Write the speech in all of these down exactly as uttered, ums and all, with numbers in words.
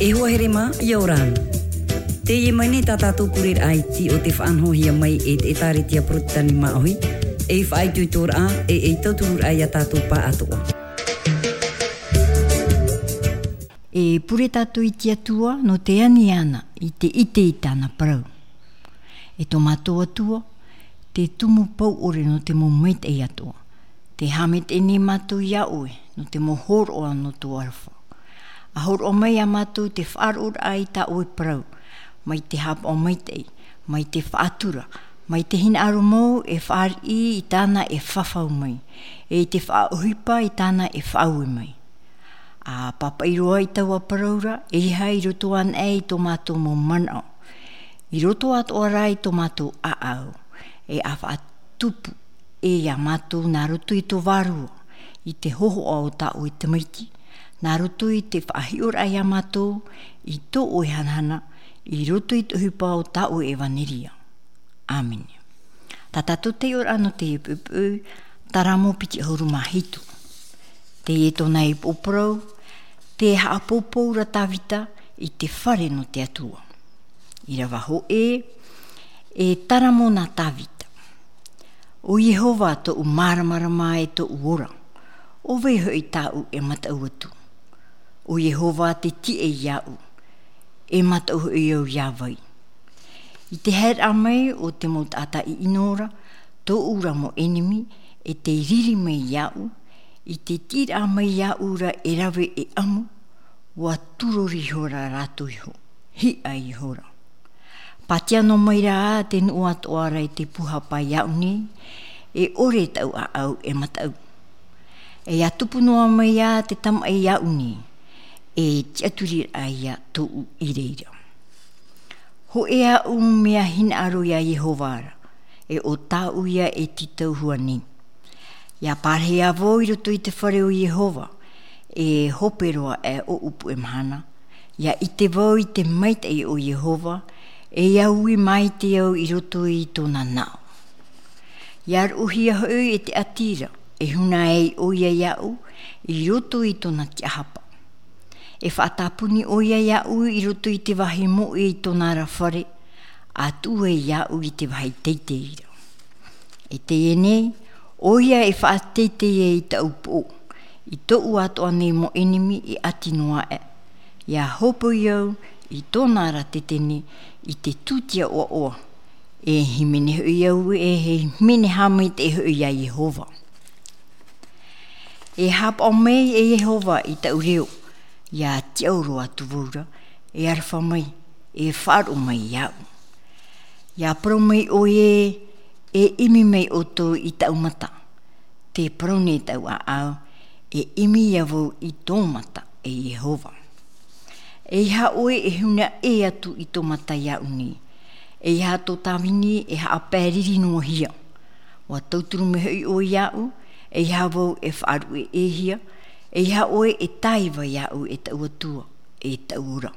E hoa here mā, ʻia ora na. Teie mai nei tā tātou pureraʻa iti o te faʻanahohia mai e te ʻĒtārētia Porotitani Māʻohi, ei faʻaitoitoraʻa, e ei tauturuʻraʻa ia tātou pāʻatoʻa. E pure tātou i te Atua, nō te ani āna i te ʻite i tāna parau. E tō mātou Atua, te tumu pauʻore nō te mau maitaʻi atoʻa. Tē haʻamaitaʻi nei mātou iā ʻoe, nō te mau hōroʻa nō tō aroha. ʻA hōroʻa mai iā mātou te faʻaroʻoraʻa i tā ʻoe parau, mai te haʻapaʻo maitaʻi, mai te faʻatura, mai te hinaʻaro mau e fāriʻi i tāna e fafau mai, e i te faʻaʻohipa i tāna e faʻaue mai. ʻA pāpaʻi roa i taua parau ra, ʻeiaha i roto anaʻe i tō mātou mau manaʻo, i roto atoʻa rā i tō mātou ʻāʻau, e ʻa faʻatupu ē iā mātou nā roto i tō vārua, i te hōhoʻa o tā ʻoe Tamaiti, nā roto i te faʻahiʻoraʻa iā mātou, i tō ʻoe hanahana, i roto i te ʻohipa o tā ʻoe ʻevanelia. ʻĀmene. Tā tātou taiʻoraʻa nō teie poʻipoʻi, Taramo piti ʻahuru mā hitu. Teie tōna ipu parau, tē haʻapoupou ra Tāvita i te fare nō te Atua. ʻĪrava hōʻē, e taramo nā Tāvita. ʻO Iehova tōʻu māramarama e tōʻu ora, ʻo vai hoʻi tāʻu e mataʻu atu? ʻO Iehova te tiʻa iāʻu, e mataʻu hoʻi au iā vai? I te haereraʻa mai o te mau taʻata ʻiʻino ra, tōʻu ra mau ʻenemi, e tē riri mai iāʻu, i te tiʻiraʻa mai iāʻu ra e rave e ʻamu, ʻua tūrori ihora rātou iho, hiʻa ihora. Pātia noa mai rā te nuʻu atoʻa ra i te pūhapa iāʻu nei, e ʻore tāʻu ʻāʻau e mataʻu. E ʻia tupu noa mai ā te tamaʻi iāʻu nei, e tiʻaturiraʻa ia tōʻu i reira. Hōʻē aʻu mea hinaʻaro iā Iehova ra, e ʻo tāʻu ia e tītauhia nei. ʻIa pārahi ā vau i roto i te fare o Iehova, e hope roa aʻe ʻoʻu puʻe mahana, ʻia ʻite vau i te maitaʻi o Iehova, e ʻia ui maite au i roto i tōna naʻo. ʻIa roʻohia hoʻi e te ʻati ra, e huna ai ʻoia iāʻu, i roto i tōna tiʻahapa. E faʻatāpuni ʻoia iāʻu i roto i te vāhi moʻe i tōna ra fare, ʻa tuʻu ai iāʻu i te vāhi teitei ra. E teie nei, ʻoia e faʻateitei ai i tāʻu poʻo, i tōʻu atoʻa nei mau ʻenemi e ʻati noa aʻe. ʻIa hōpoi au i tōna ra tetene i te tūtia ʻoaʻoa, e hīmene hoʻi au, e hīmene haʻamaitaʻi hoʻi iā Iehova. E haʻapaʻo mai e Iehova i tāʻu reo, ʻia tiʻaoro atu vau ra, e aroha mai, e faʻaroʻo mai iāʻu. ʻIa parau mai ʻoe, e ʻimi mai ʻoutou i tāʻu mata, tē parau nei tāʻu ʻāʻau, e ʻimi ia vau i tō mata, e Iehova. ʻEiaha ʻoe e huna ʻē atu i tō mata iāʻu nei, ʻeiaha tō tāvini e haʻapae riri noa hia. ʻUa tauturu mai hoʻi ʻoe iāʻu, ʻeiaha vau e faʻaruʻe ʻē hia, ʻeiaha ʻoe e tāiva iāʻu e tāʻu Atua, e tāʻu ora.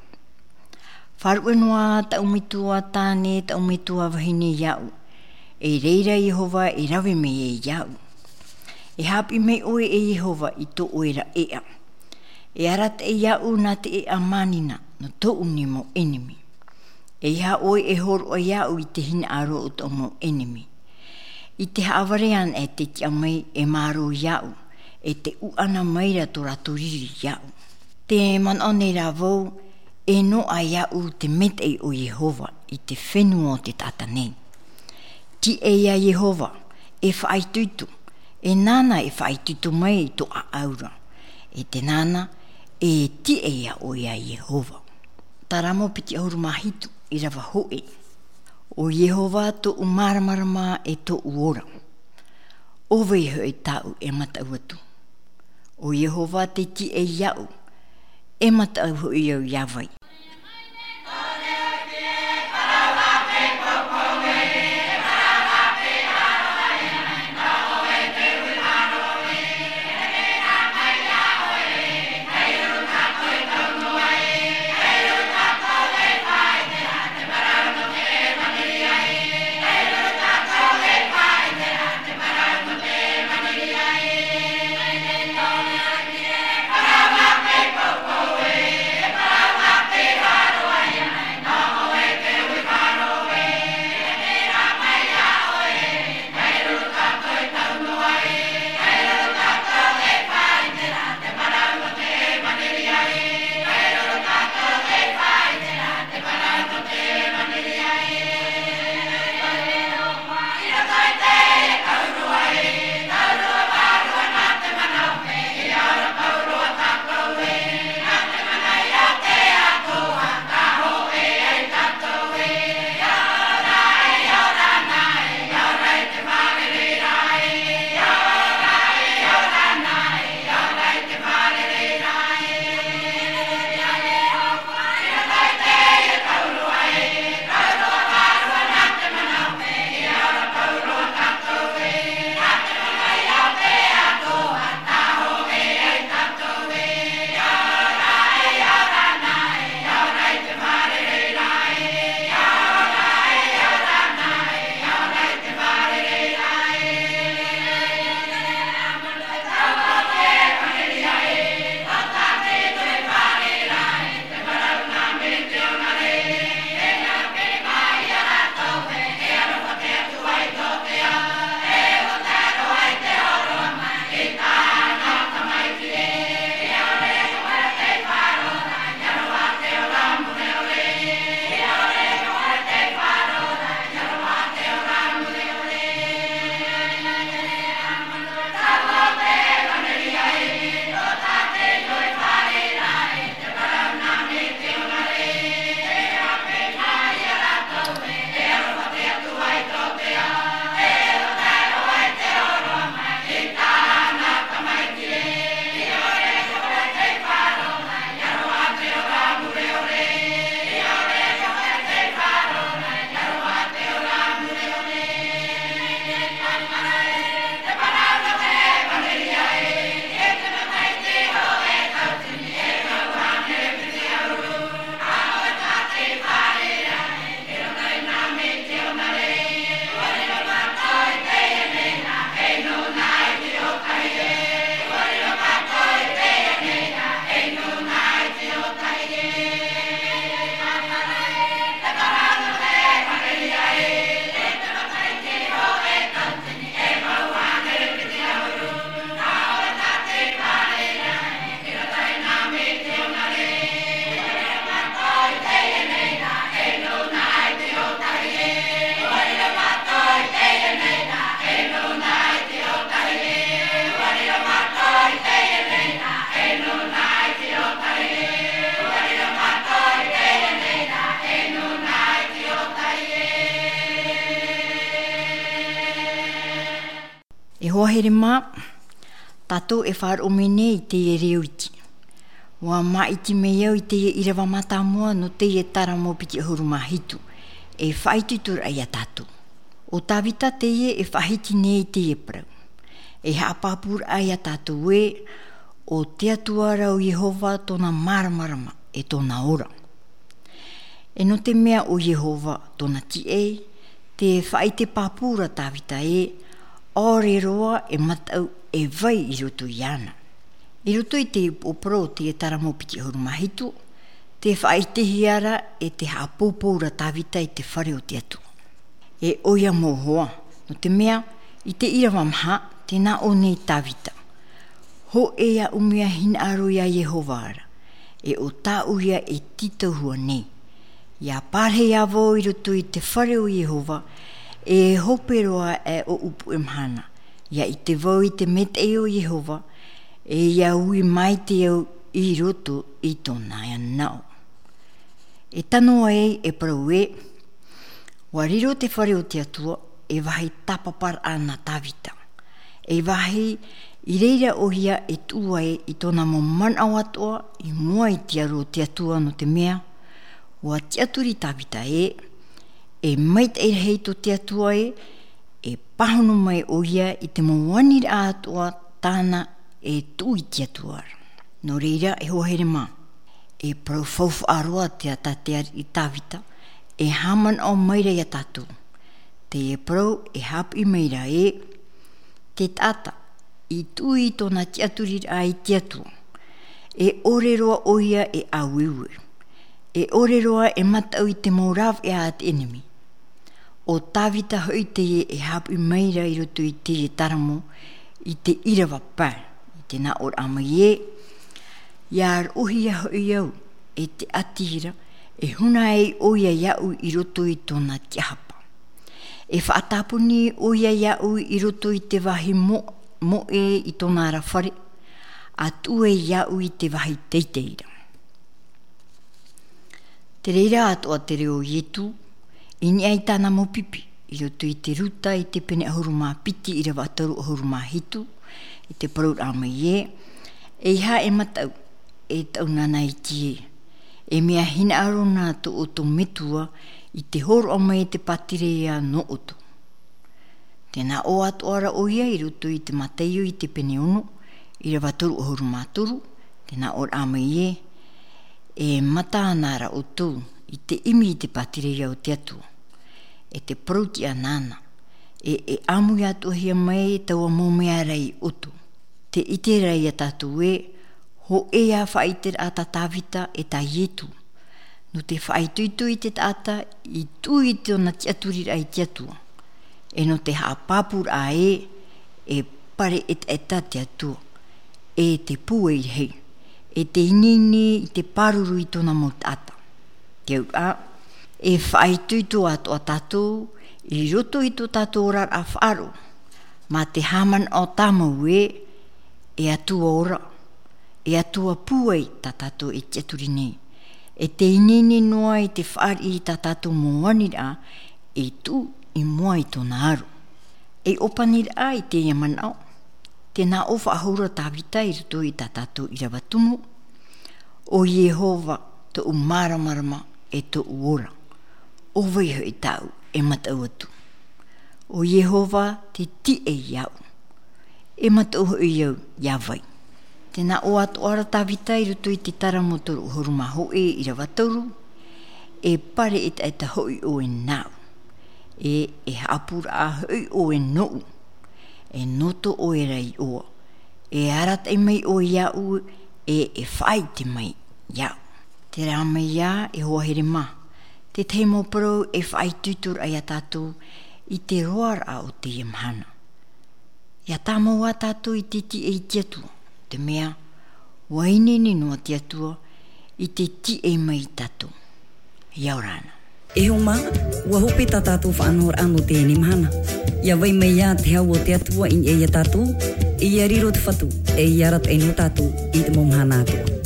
Faʻaruʻe noa tāʻu metua tāne, tāʻu metua vahine iāʻu, e reira Iehova e rave mai ai iāʻu. E haʻapiʻi mai ʻoe e Iehova i tō ʻoe ra ʻēʻa. E arataʻi iāʻu nā te ʻēʻa mānina, nō tōʻu nei mau ʻenemi. ʻEiaha ʻoe e hōroʻa iāʻu i te hinaʻaro o tōʻu mau ʻenemi. I te haʻavare anaʻe tē tiʻa mai e mārō iāʻu, e tē ʻuʻana mai ra tō rātou riri iāʻu. Tē manaʻo nei rā vau, e noaʻa iāʻu te maitaʻi o Iehova i te fenua o te taʻata nei. Tiʻa ia Iehova, e faʻaitoito, e nāna e faʻaitoito mai i tō ʻāʻau ra. E tē nāna, e tiʻa ia ʻoe iā Iehova. Taramo piti ʻahuru mā hitu, ʻīrava hōʻē. ʻO Iehova tōʻu māramarama e tōʻu ora. ʻO vai hoʻi tāʻu e mataʻu atu? ʻO Iehova te tiʻa iāʻu, e mataʻu hoʻi au iā vai? Hoa here mā, tātou e faʻaroʻo mai nei i teie reo iti. ʻUa māʻiti mai au i teie ʻīrava mātāmua nō teie taramo piti ʻahuru mā hitu. E faʻaitoitoraʻa ia tātou. ʻO Tāvita teie e faʻahiti nei i teie parau. E haʻapāpūraʻa ia tātou ē, ʻo te Atua ra ʻo Iehova tōna māramarama e tōna ora. E nō te mea ʻo Iehova tōna tiʻa, tē faʻaʻite pāpū ra Tāvita ē, ʻaore roa e mataʻu e vai i roto iāna. I roto i te upoʻo parau o te taramo piti ʻahuru mā hitu, tē faʻaʻitehia ra e tē haʻapōpou ra Tāvita i te fare o te Atua. E ʻoia mau hoa, nō te mea, i te ʻīrava maha, tē nā ʻō nei Tāvita. Hōʻē aʻu mea hinaʻaro ia Iehova ra, e ʻo tāʻu ia e tītauhia nei. ʻIa pārahi ā vau i roto i te fare o Iehova, e hope roa aʻe ʻoʻu puʻe mahana, ʻia ʻite vau i te mea o Iehova, e ʻia ui maite au i roto i tōna naʻo. E tano ai e parau ē, ʻua riro te fare o te Atua, e vāhi tāpaparaʻa nā Tāvita. E vāhi i reira ʻoia e tuʻu ai i tōna mau manaʻo atoʻa i mua i te aro o te Atua nō te mea, ʻua tiʻaturi Tāvita ē, e maitaʻi rahi tō te Atua ē, e pāhono mai ʻoia i te mau aniraʻa atoʻa tāna e tuʻu i te Atua ra. Nō reira e hoa here mā, e parau faufaʻa roa te ata te ariʻi Tāvita, e haʻamanaʻo mai ra ia tātou. Teie parau e haʻapiʻi mai ra ē, te taʻata i tuʻu i tōna tiʻaturiraʻa i te Atua. E ʻore roa ʻoia e ʻāueue. E ʻore roa e mataʻu i te mau rāveʻa a te ʻenemi. ʻO Tāvita hoʻi teie e haʻapiʻi mai ra i roto i teie taramo i te ʻīrava pae, i te nāʻōraʻa mai ē, ʻia roʻohia hoʻi au e te ʻati ra, e huna ai ʻoia iāʻu i roto i tōna tiʻahapa. E faʻatāpuni ʻoia iāʻu i roto i te vāhi mo-, moʻe i tōna ra fare, ʻa tuʻu ai iāʻu i te vāhi teitei ra. Te reira atoʻa te reo o Ietu, i niʻa i tāna mau pipi, i roto i te Ruta i te pene ʻahuru mā piti ʻīrava toru ʻahuru mā hitu, i te parauraʻa mai ē, ʻeiaha e mataʻu, e taʻu nāna iti ē, e mea hinaʻaro nā tō ʻoutou metua i te hōroʻa mai i te pātireia nō ʻoutou. Tē nā ʻō atoʻa ra ʻoia i roto i te Mataio i te pene ono, ʻīrava toru ʻahuru mā toru, tē nā ʻōraʻa mai ē, e mata ana ra ʻoutou i te ʻimi i te pātireia o te Atua. E te parau tiʻa nāna, e, e ʻāmui atoʻahia mai taua mau mea ra ia ʻoutou. Tē ʻite ra ia tātou ē, hōʻē ā faʻaʻiteraʻa tā Tāvita e tā Ietu. Nō te faʻaitoito i te taʻata, i tuʻu i tōna tiʻaturiraʻa i te Atua. E nō te haʻapāpūraʻa ē, e pare ʻetaʻeta te Atua. E te pūai rahi. E te ineine i te pāruru i tōna mau taʻata. Te auraʻa, e faʻaitoito atoʻa tātou, i roto i tō tātou oraraʻa faʻaroʻo. Mā te haʻamanaʻo tāmau ē, e Atua ora, e Atua pūai tā tātou e tiʻaturi nei. E te ineine noa i te fāriʻi i tā tātou mau aniraʻa, e tuʻu i mua i tōna aro. E ʻōpaniraʻa i teie manaʻo, tē nā ʻō faʻahou ra Tāvita i roto i tā tātou ʻīrava tumu, ʻo Iehova tōʻu māramarama e tōʻu ora. ʻO vai hoʻi tāʻu e mataʻu atu. ʻO Iehova te tiʻa iāʻu. E mataʻu hoʻi au iā vai. Tē nā ʻō atoʻa ra Tāvita i roto i te Taramo toru ʻahuru mā hōʻē ʻīrava toru, e pare ʻetaʻeta hoʻi ʻoe nāʻu. E, e haʻapūraʻa hoʻi ʻoe nōʻu. E noto ʻoe ra iʻoa. E arataʻi mai ʻoe iāʻu, e, e faʻaʻite mai iāʻu. Terā mai ā, e hoa here mā, te tahi mau parau e faʻaitoitoraʻa ia tātou i te roaraʻa o teie mahana. ʻIa tāmau ā tātou i te tiʻa i te Atua, te mea, ʻua ineine noa te Atua i te tiʻa mai ia tātou. ʻIa ora na. E hoa mā, ʻua hope tā tātou faʻanahoraʻa nō teie mahana. ʻIa vai mai ā te hau o te Atua i niʻa ia tātou, e ʻia riro te Fatu, e ʻia arataʻi noa tātou i te mau mahana atoʻa.